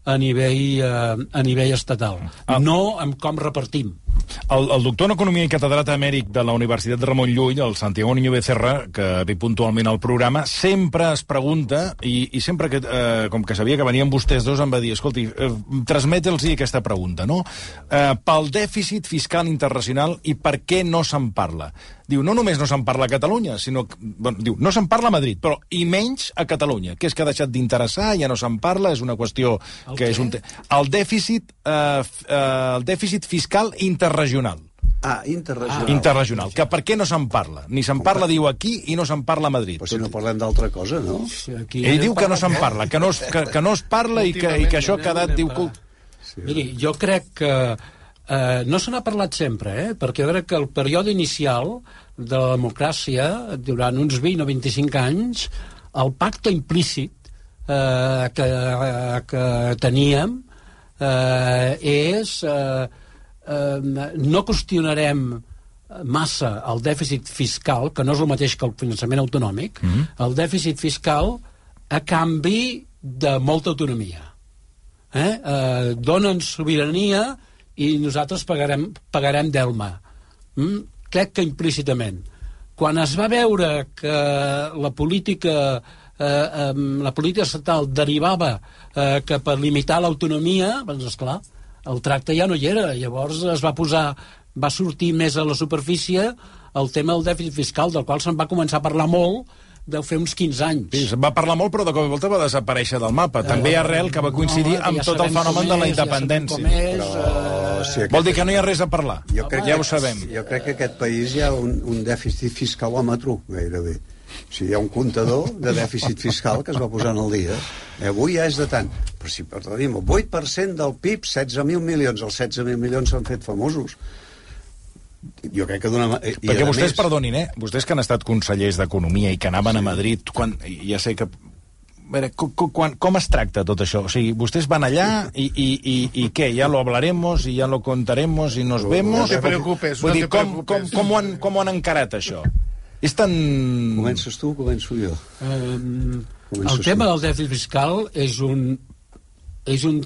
Speaker 2: a nivell estatal, no amb com repartim.
Speaker 1: El doctor en Economia i catedràtic emèrit de la Universitat Ramon Llull, el Santiago Niño Becerra, que ve puntualment al programa, sempre es pregunta, i sempre que, com que sabia que venien vostès dos, em va dir, escolti, transmetels aquesta pregunta, no? Pel dèficit fiscal internacional i per què no se'n parla. Diu, no només no se'n parla a Catalunya, sinó que, bueno, diu, no se'n parla a Madrid, però i menys a Catalunya, que és que ha deixat d'interessar, ja no se'n parla, és una qüestió que és un... El dèficit fiscal interregional.
Speaker 3: Interregional.
Speaker 1: Interregional, que per què no se'n parla? Ni se'n parla, diu, aquí, i no se'n parla a Madrid.
Speaker 3: Però si no parlem d'altra cosa, no?
Speaker 1: Ell diu que no se'n parla, que no es parla i que això ha quedat...
Speaker 2: Miri, jo crec que no se n'ha parlat sempre, perquè jo crec que el període inicial de la democràcia, durant uns 20 o 25 anys, el pacte implícit que teníem és no qüestionarem massa el dèficit fiscal, que no és el mateix que el finançament autonòmic, el dèficit fiscal a canvi de molta autonomia. Donen sobirania i nosaltres pagarem d'Elma. Crec que implícitament. Quan es va veure que la política estatal derivava cap a limitar l'autonomia, doncs, esclar, el tracte ja no hi era. Llavors va sortir més a la superfície el tema del dèficit fiscal, del qual se'n va començar a parlar molt, deu fer uns 15 anys.
Speaker 1: Sí, se'n va parlar molt, però de cop i volta va desaparèixer del mapa. També arrel que va coincidir amb tot el fenomen de la independència. Vol dir que no hi ha res a parlar. Ja ho sabem.
Speaker 3: Jo crec que aquest país hi ha un dèficit fiscalòmetre, gairebé. O sigui, hi ha un comptador de dèficit fiscal que es va posant al dia. Avui ja és de tant. Però si parlem, el 8% del PIB, 16.000 milions. Els 16.000 milions s'han fet famosos. Jo crec que
Speaker 1: perquè vostès, perdonin, vostès que han estat consellers d'Economia i que anaven a Madrid, ja sé que... Com es tracta tot això? O sigui, vostès van allà i què? Ja lo hablaremos y ya lo contaremos y nos vemos?
Speaker 6: No te preocupes,
Speaker 1: no te preocupes. Com ho han encarat, això? És tan...
Speaker 3: Comences tu o començo jo?
Speaker 2: El tema del dèficit fiscal és un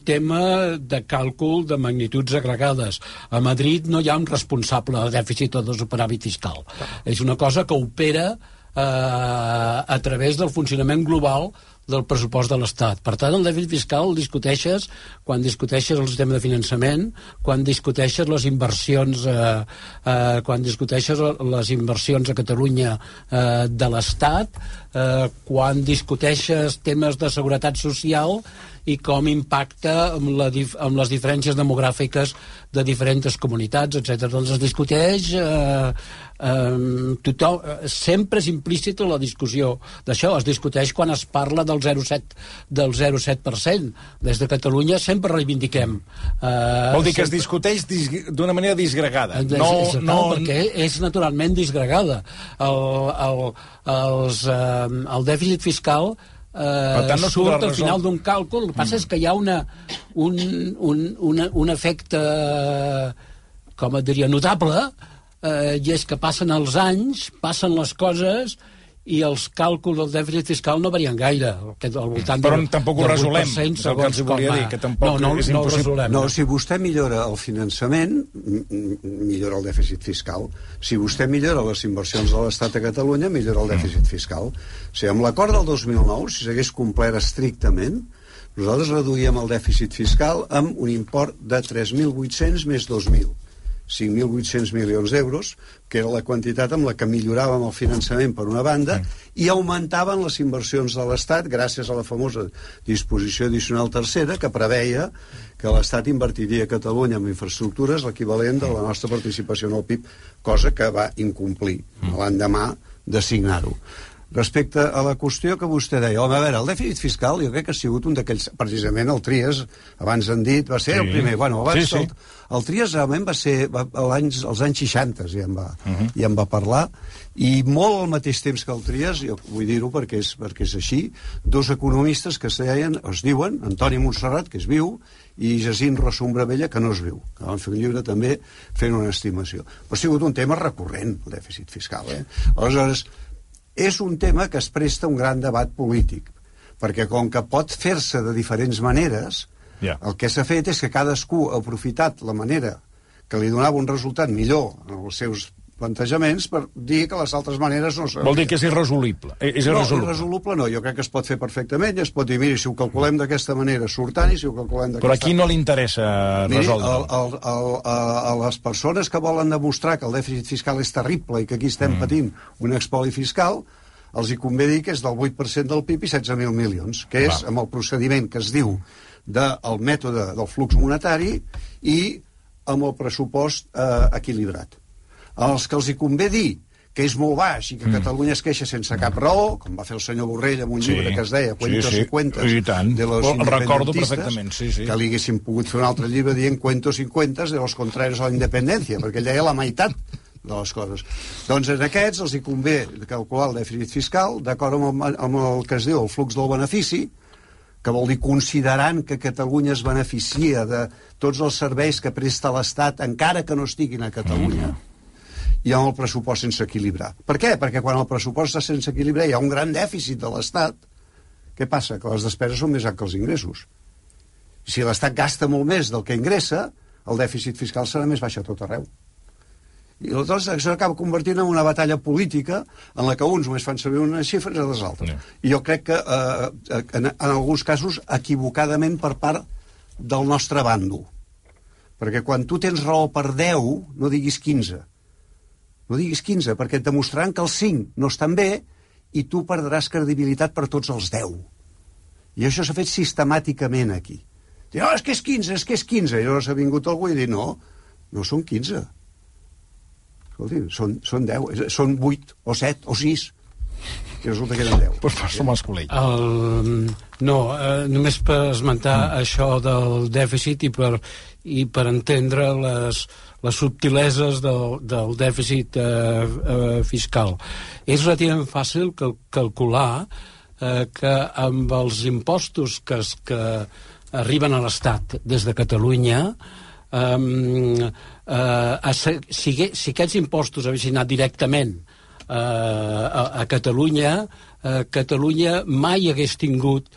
Speaker 2: tema de càlcul de magnituds agregades. A Madrid no hi ha un responsable de dèficit o de superàvit fiscal. És una cosa que opera a través del funcionament global del pressupost de l'Estat. Per tant, el dèficit fiscal el discuteixes quan discuteixes el sistema de finançament, quan discuteixes les inversions a Catalunya de l'Estat, quan discuteixes temes de seguretat social i com impacta amb les diferències demogràfiques de diferents comunitats, etc. Doncs es discuteix sempre és implícita la discussió d'això. Es discuteix quan es parla del 0,7%. Des de Catalunya sempre reivindiquem.
Speaker 1: Vol dir que es discuteix d'una manera disgregada.
Speaker 2: Perquè és naturalment disgregada. El dèficit fiscal surt al final d'un càlcul. El que passa és que hi ha un efecte, com et diria, notable, i és que passen els anys, passen les coses, i els càlculs del dèficit fiscal no varien gaire.
Speaker 1: Però tampoc ho resolem, és el que els volia dir, que tampoc és impossible.
Speaker 3: No, si vostè millora el finançament, millora el dèficit fiscal. Si vostè millora les inversions de l'Estat a Catalunya, millora el dèficit fiscal. O sigui, amb l'acord del 2009, si s'hagués complert estrictament, nosaltres reduïem el dèficit fiscal amb un import de 3.800 més 2.000. 5.800 milions d'euros, que era la quantitat amb la que milloràvem el finançament per una banda, i augmentaven les inversions de l'Estat gràcies a la famosa disposició addicional tercera que preveia que l'Estat invertiria a Catalunya en infraestructures l'equivalent de la nostra participació en el PIB, cosa que va incomplir l'endemà de signar-ho. Respecte a la qüestió que vostè deia, home, a veure, el dèficit fiscal jo crec que ha sigut un d'aquells, precisament el Trias, abans han dit, va ser el primer. Bueno, abans el Trias realment va ser als anys 60, ja en va parlar, i molt al mateix temps que el Trias, jo vull dir-ho perquè és així, dos economistes que es diuen Antoni Montserrat, que és viu, i Jacint Rossumbrabella, que no és viu, que van fer un llibre també fent una estimació. Però ha sigut un tema recurrent, el dèficit fiscal. Aleshores, és un tema que es presta un gran debat polític, perquè com que pot fer-se de diferents maneres, el que s'ha fet és que cadascú ha aprofitat la manera que li donava un resultat millor als seus plantejaments per dir que les altres maneres no són.
Speaker 1: Vol dir que és irresoluble.
Speaker 3: No, irresoluble no, jo crec que es pot fer perfectament, es pot dir, miri, si ho calculem d'aquesta manera surt tant i si ho calculem d'aquesta...
Speaker 1: Però aquí no li interessa resoldre.
Speaker 3: A les persones que volen demostrar que el dèficit fiscal és terrible i que aquí estem patint un expoli fiscal, els hi convé dir que és del 8% del PIB i 16.000 milions, que és amb el procediment que es diu del mètode del flux monetari i amb el pressupost equilibrat. Els que els hi convé dir que és molt baix i que Catalunya es queixa sense cap raó, com va fer el senyor Borrell amb un llibre que es deia Cuentos y Cuentas de los independentistes, que li haguessin pogut fer un altre llibre dient Cuentos y Cuentas de los contrarios a la independència, perquè ell deia la meitat de les coses. Doncs en aquests els hi convé calcular el dèficit fiscal d'acord amb el que es diu el flux del benefici, que vol dir considerant que Catalunya es beneficia de tots els serveis que presta l'Estat encara que no estiguin a Catalunya, i amb el pressupost sense equilibrar. Per què? Perquè quan el pressupost està sense equilibrar hi ha un gran dèficit de l'Estat. Què passa? Que les despeses són més altes que els ingressos. Si l'Estat gasta molt més del que ingressa, el dèficit fiscal serà més baix a tot arreu. I aleshores això acaba convertint en una batalla política en la que uns només fan servir unes xifres i les altres. I jo crec que en alguns casos equivocadament per part del nostre bàndol. Perquè quan tu tens raó per 10, no diguis 15. No diguis 15, perquè et demostraran que els 5 no estan bé i tu perdràs credibilitat per tots els 10. I això s'ha fet sistemàticament aquí. Diu, és que és 15, és que és 15. I llavors ha vingut algú i ha dit, no són 15. Escolti, són 10, són 8 o 7 o 6. I resulta que eren 10.
Speaker 1: Pues som els col·legis.
Speaker 2: Només per esmentar això del dèficit i per entendre les subtileses del dèficit fiscal. És relativament fàcil calcular que amb els impostos que arriben a l'Estat des de Catalunya, si aquests impostos haguessin anat directament a Catalunya, Catalunya mai hagués tingut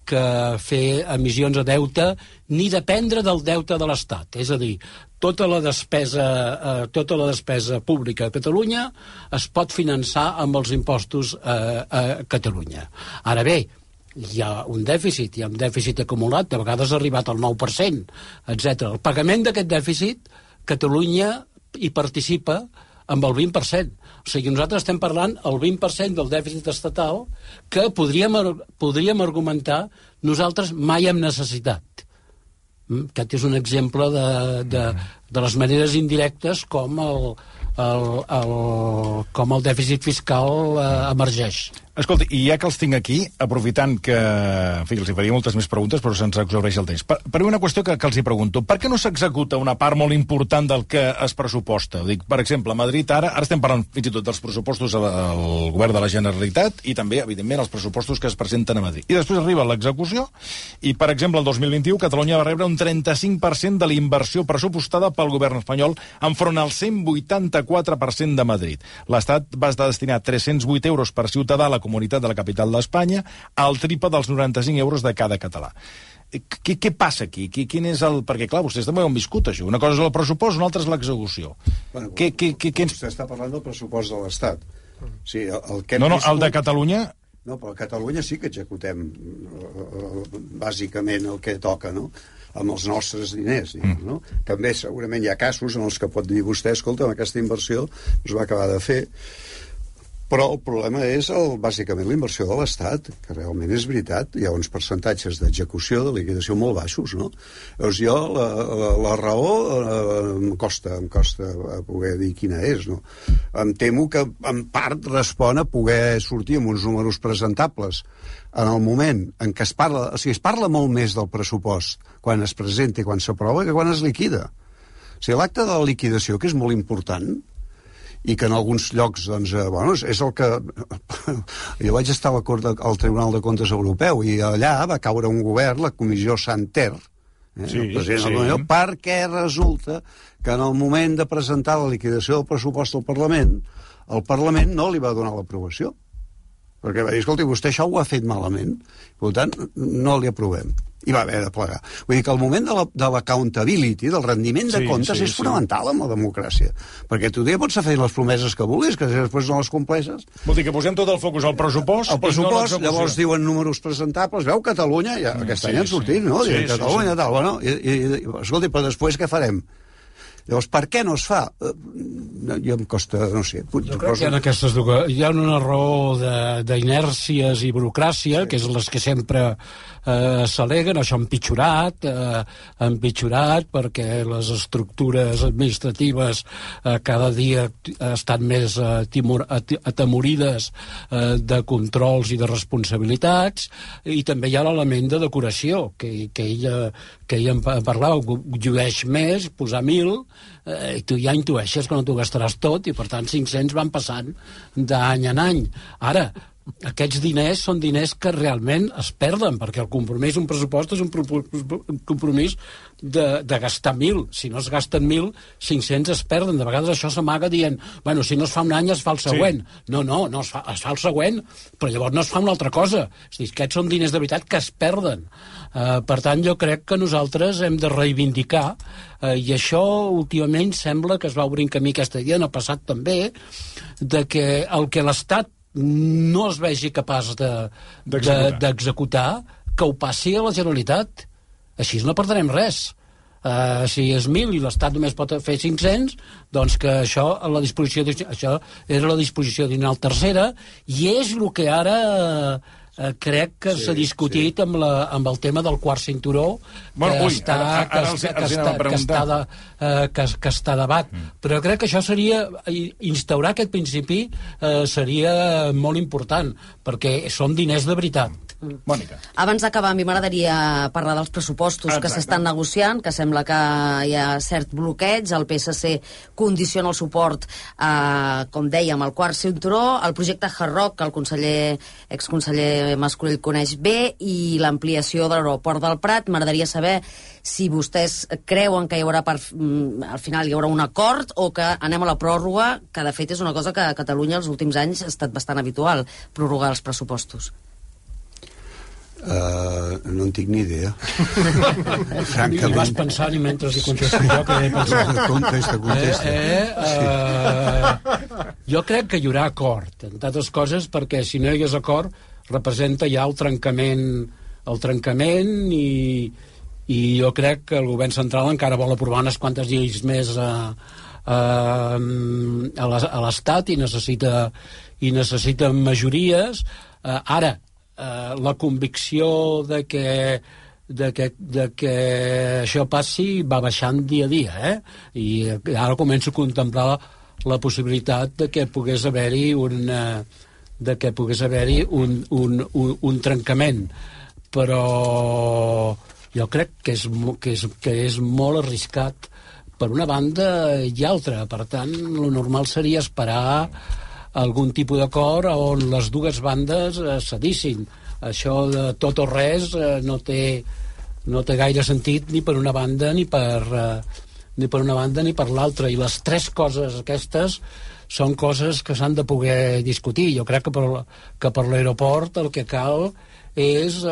Speaker 2: que fer emissions de deute ni dependre del deute de l'Estat. És a dir, tota la despesa pública a Catalunya es pot finançar amb els impostos a Catalunya. Ara bé, hi ha un dèficit acumulat, de vegades ha arribat al 9%, etc. El pagament d'aquest dèficit, Catalunya hi participa amb el 20%. O sigui, nosaltres estem parlant el 20% del dèficit estatal que podríem argumentar nosaltres mai hem necessitat. Aquest és un exemple de les maneres indirectes com el dèficit fiscal emergeix.
Speaker 1: Escolta, i ja que els tinc aquí, aprofitant que... En fi, els hi faria moltes més preguntes, però se'ns exhaureix el temps. Per una qüestió que els hi pregunto, per què no s'executa una part molt important del que es pressuposta? Dic, per exemple, a Madrid ara estem parlant fins i tot dels pressupostos al govern de la Generalitat i també, evidentment, els pressupostos que es presenten a Madrid. I després arriba l'execució i, per exemple, el 2021 Catalunya va rebre un 35% de la inversió pressupostada pel govern espanyol enfront al 184% de Madrid. L'Estat va destinar 308 euros per ciutadà a la comunitat de la capital d'Espanya, al triple dels 95 euros de cada català. Què passa aquí? Quin és el... Perquè, clar, vostès també ho han viscut, això. Una cosa és el pressupost, una altra és l'execució.
Speaker 3: Bueno, vostè està parlant del pressupost de l'Estat. Sí,
Speaker 1: el de Catalunya...
Speaker 3: No, però a Catalunya sí que executem bàsicament el que toca, no?, amb els nostres diners, no? També segurament hi ha casos en els que pot dir vostè, escolta, aquesta inversió es va acabar de fer, però el problema és bàsicament la inversió de l'Estat, que realment és veritat, hi ha uns percentatges d'execució, de liquidació molt baixos, no? Llavors jo, la raó em costa poder dir quina és, no? Em temo que en part respon a poder sortir amb uns números presentables en el moment en què es parla, o sigui, es parla molt més del pressupost quan es presenta i quan s'aprova que quan es liquida. O sigui, l'acte de la liquidació, que és molt important, i que en alguns llocs, doncs, és el que... Jo vaig estar al Tribunal de Comptes Europeu i allà va caure un govern, la comissió Santer, perquè resulta que en el moment de presentar la liquidació del pressupost al Parlament, el Parlament no li va donar l'aprovació. Perquè va dir, escolti, vostè això ho ha fet malament, per tant, no li aprovem. i va haver de plegar. Vull dir que el moment de l'accountability, del rendiment de comptes, és fonamental en la democràcia. Perquè tu ja pots fer les promeses que vulguis, que després no les compleixes.
Speaker 1: Vol dir que posem tot el focus al pressupost.
Speaker 3: El pressupost, llavors diuen números presentables. Veu, Catalunya, ja aquest any han sortit, no? Catalunya, tal, bueno, escolti, però després què farem? Llavors, per què no es fa? Jo em costa, no sé...
Speaker 2: Jo crec que hi ha una raó d'inèrcies i burocràcia, que és les que sempre s'al·leguen. Això ha empitjorat perquè les estructures administratives cada dia estan més atemorides de controls i de responsabilitats, i també hi ha l'element de decoració, que ella en parlava, llueix més, posar 1.000, i tu ja intueixes que no t'ho gastaràs tot, i per tant 500 van passant d'any en any. Ara, aquests diners són diners que realment es perden, perquè el compromís, un pressupost, és un compromís de gastar 1.000. Si no es gasten 1.000, 500 es perden. De vegades això s'amaga dient, bueno, si no es fa un any es fa el següent. Sí. No, es fa el següent, però llavors no es fa una altra cosa. És dir, aquests són diners de veritat que es perden. Per tant, jo crec que nosaltres hem de reivindicar, i això últimament sembla que es va obrir un camí aquesta idea, en el passat també, de que el que l'Estat no es vegi capaç d'executar, que ho passi a la Generalitat. Així no perdrem res. Si és 1.000 i l'Estat només pot fer 500, doncs que això era la disposició addicional tercera, i és el que ara crec que s'ha discutit amb el tema del quart cinturó, que està a debat. Però crec que això seria, instaurar aquest principi seria molt important, perquè són diners de veritat.
Speaker 1: Mònica.
Speaker 4: Abans d'acabar, a mi m'agradaria parlar dels pressupostos que s'estan negociant, que sembla que hi ha cert bloqueig. El PSC condiciona el suport, com dèiem, al quart cinturó, el projecte Hard Rock, que el exconseller Mas-Colell coneix bé, i l'ampliació de l'aeroport del Prat. M'agradaria saber si vostès creuen que al final hi haurà un acord, o que anem a la pròrroga, que de fet és una cosa que a Catalunya els últims anys ha estat bastant habitual, prorrogar els pressupostos.
Speaker 3: No en tinc ni idea.
Speaker 2: Francament. I vas pensant, i mentre hi contesto jo, que he pensat.
Speaker 3: Contesta.
Speaker 2: Jo crec que hi haurà acord, entre altres coses, perquè si no hi hagués acord representa ja el trencament, i jo crec que el govern central encara vol aprovar unes quantes lleis més a l'Estat, i necessita majories. Ara, la convicció de que això passi va baixant dia a dia, i ara començo a contemplar la possibilitat de que pogués haver-hi un trencament, però jo crec que és molt arriscat per una banda i altra. Per tant, el normal seria esperar algun tipus d'acord on les dues bandes cedissin. Això de tot o res no té gaire sentit ni per una banda ni per l'altra, i les tres coses aquestes són coses que s'han de poder discutir. Jo crec que per l'aeroport el que cal és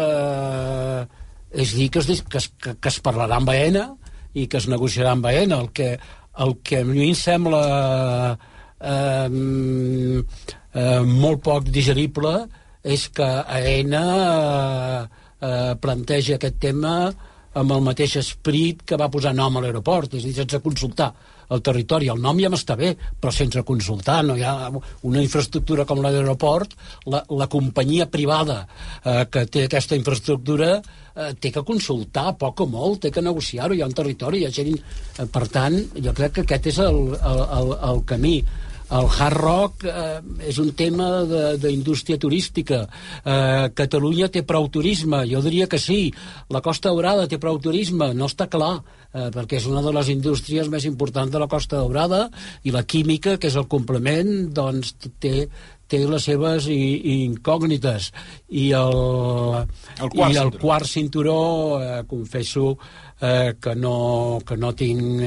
Speaker 2: dir que es parlarà amb Aena i que es negociarà amb Aena. El que a mi em sembla molt poc digerible és que Aena planteja aquest tema amb el mateix esperit que va posar nom a l'aeroport, és a dir, sense consultar el territori. El nom ja m'està bé, però sense consultar. No hi ha una infraestructura com l'aeroport, la companyia privada que té aquesta infraestructura té que consultar poc o molt, té que negociar-ho, hi ha un territori, hi ha gent... Per tant, jo crec que aquest és el camí. El Hard Rock és un tema d'indústria turística. Catalunya té prou turisme? Jo diria que sí. La Costa Daurada té prou turisme? No està clar. perquè és una de les indústries més importants de la Costa Daurada, i la química, que és el complement, doncs té les seves incògnites. I el quart cinturó, confesso que no tinc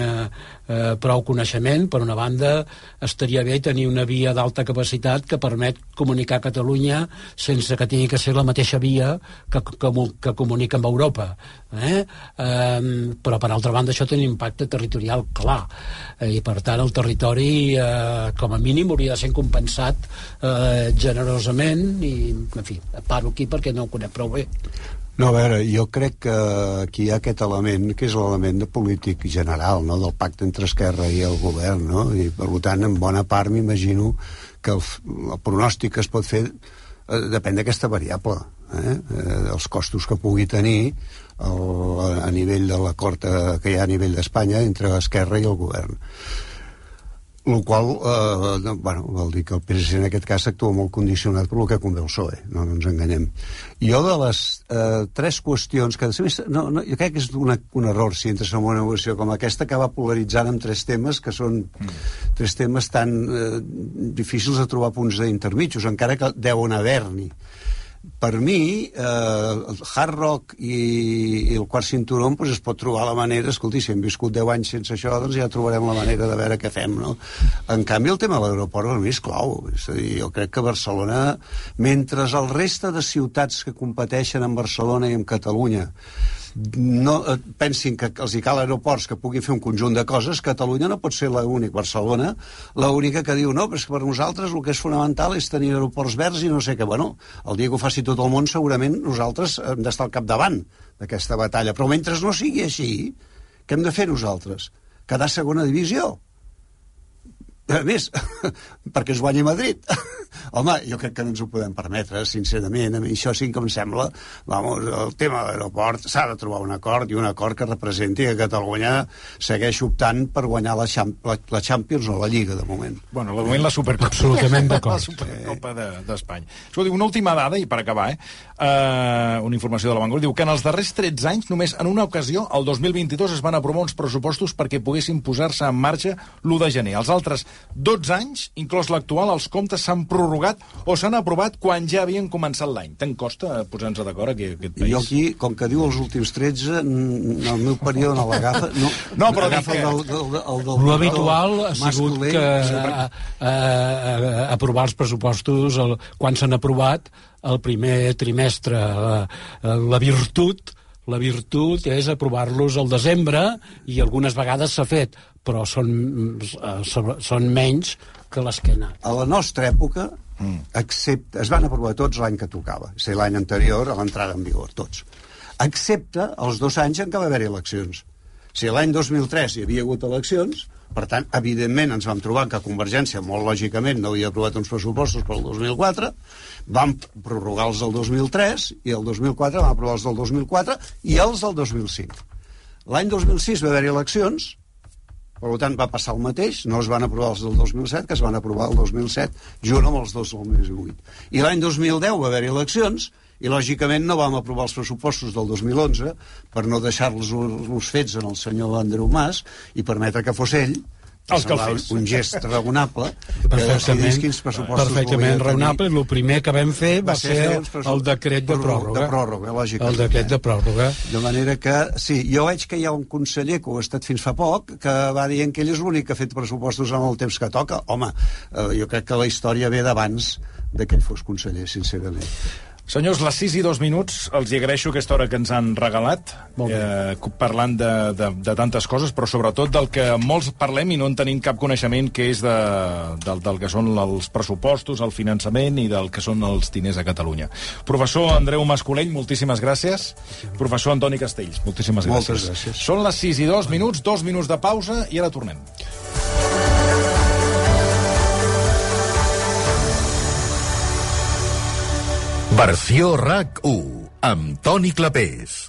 Speaker 2: prou coneixement. Per una banda, estaria bé tenir una via d'alta capacitat que permet comunicar Catalunya sense que tingui que ser la mateixa via que comunica amb Europa. Però, per altra banda, això té un impacte territorial clar. I, per tant, el territori, com a mínim, hauria de ser compensat generosament. I, en fi, paro aquí perquè no ho conec prou bé.
Speaker 3: No, a veure, jo crec que aquí hi ha aquest element, que és l'element de polític general, no?, del pacte entre Esquerra i el govern, no?, i per tant, en bona part m'imagino que el pronòstic que es pot fer depèn d'aquesta variable, els costos que pugui tenir a nivell de l'acord que hi ha a nivell d'Espanya entre Esquerra i el govern. El qual, vol dir que el PSC en aquest cas actua molt condicionat per el que convé el PSOE, no ens enganyem. Jo de les 3 qüestions que... jo crec que és un error si entres en una negociació com aquesta, que va polaritzant amb 3 temes que són 3 temes tan difícils de trobar punts d'intermitjos, encara que deuen haver-n'hi. Per mi, el hard rock i el quart cinturó, doncs es pot trobar la manera, escolti, si hem viscut 10 anys sense això, doncs ja trobarem la manera de veure què fem, no? En canvi, el tema de l'aeroport per mi és clau. És a dir, jo crec que Barcelona, mentre el reste de ciutats que competeixen amb Barcelona i amb Catalunya no pensin que els hi cal aeroports que puguin fer un conjunt de coses, Catalunya no pot ser l'única, Barcelona l'única que diu no, però és que per nosaltres el que és fonamental és tenir aeroports verds i no sé què. Bueno, el dia que ho faci tot el món segurament nosaltres hem d'estar al capdavant d'aquesta batalla, però mentre no sigui així, què hem de fer nosaltres? Quedar segona divisió? A més, perquè es guanyi Madrid. Home, jo crec que no ens ho podem permetre, sincerament. A mi això sí que em sembla, el tema de l'aeroport s'ha de trobar un acord, i un acord que representi que Catalunya segueix optant per guanyar la Champions o la Lliga, de moment.
Speaker 1: Bueno, de moment la Supercopa.
Speaker 2: Absolutament d'acord.
Speaker 1: La Supercopa d'Espanya. Escolti, una última dada, i per acabar, una informació de La Vanguardia, diu que en els darrers 13 anys, només en una ocasió, el 2022, es van aprovar uns pressupostos perquè poguessin posar-se en marxa l'1 de gener. Els altres 12 anys, inclòs l'actual, els comptes s'han prorrogat o s'han aprovat quan ja havien començat l'any. Tant costa posar-nos d'acord aquí, aquest país?
Speaker 3: Jo aquí, com que diu els últims 13, en el meu període no l'agafa...
Speaker 1: No, però dic que...
Speaker 2: L'habitual ha sigut que aprovar els pressupostos quan s'han aprovat el primer trimestre. La virtut és aprovar-los al desembre, i algunes vegades s'ha fet, però són menys que les que han anat.
Speaker 3: A la nostra època, es van aprovar tots l'any que tocava, és a dir, l'any anterior a l'entrada en vigor, tots. Excepte els 2 anys en què va haver-hi eleccions. Si l'any 2003 hi havia hagut eleccions, per tant, evidentment ens vam trobar que Convergència, molt lògicament, no havia aprovat uns pressupostos pel 2004, vam prorrogar els del 2003, i el 2004 vam aprovar els del 2004 i els del 2005. L'any 2006 va haver-hi eleccions, per tant va passar el mateix, no es van aprovar els del 2007, que es van aprovar el 2007, junt amb els dos del 2008. I l'any 2010 va haver-hi eleccions, i lògicament no vam aprovar els pressupostos del 2011 per no deixar-los fets en el senyor Andreu Mas i permetre que fos ell, un gest raonable, que decidís quins pressupostos
Speaker 2: perfectament raonable. El primer que vam fer va ser el decret de pròrroga.
Speaker 3: Lògicament.
Speaker 2: El decret de pròrroga.
Speaker 3: De manera que, sí, jo veig que hi ha un conseller que ho ha estat fins fa poc, que va dient que ell és l'únic que ha fet pressupostos en el temps que toca. Home, jo crec que la història ve d'abans que ell fos conseller, sincerament.
Speaker 1: Senyors, les 6 i 2 minuts, els agraeixo aquesta hora que ens han regalat, parlant de tantes coses, però sobretot del que molts parlem i no en tenim cap coneixement, que és del que són els pressupostos, el finançament i del que són els diners a Catalunya. Professor Andreu Mascolell, moltíssimes gràcies. Professor Antoni Castells, moltíssimes gràcies.
Speaker 3: Moltes gràcies.
Speaker 1: Són les 6 i 2 minuts, 2 minuts de pausa i ara tornem.
Speaker 7: Versió RAC 1, amb Toni Clapés.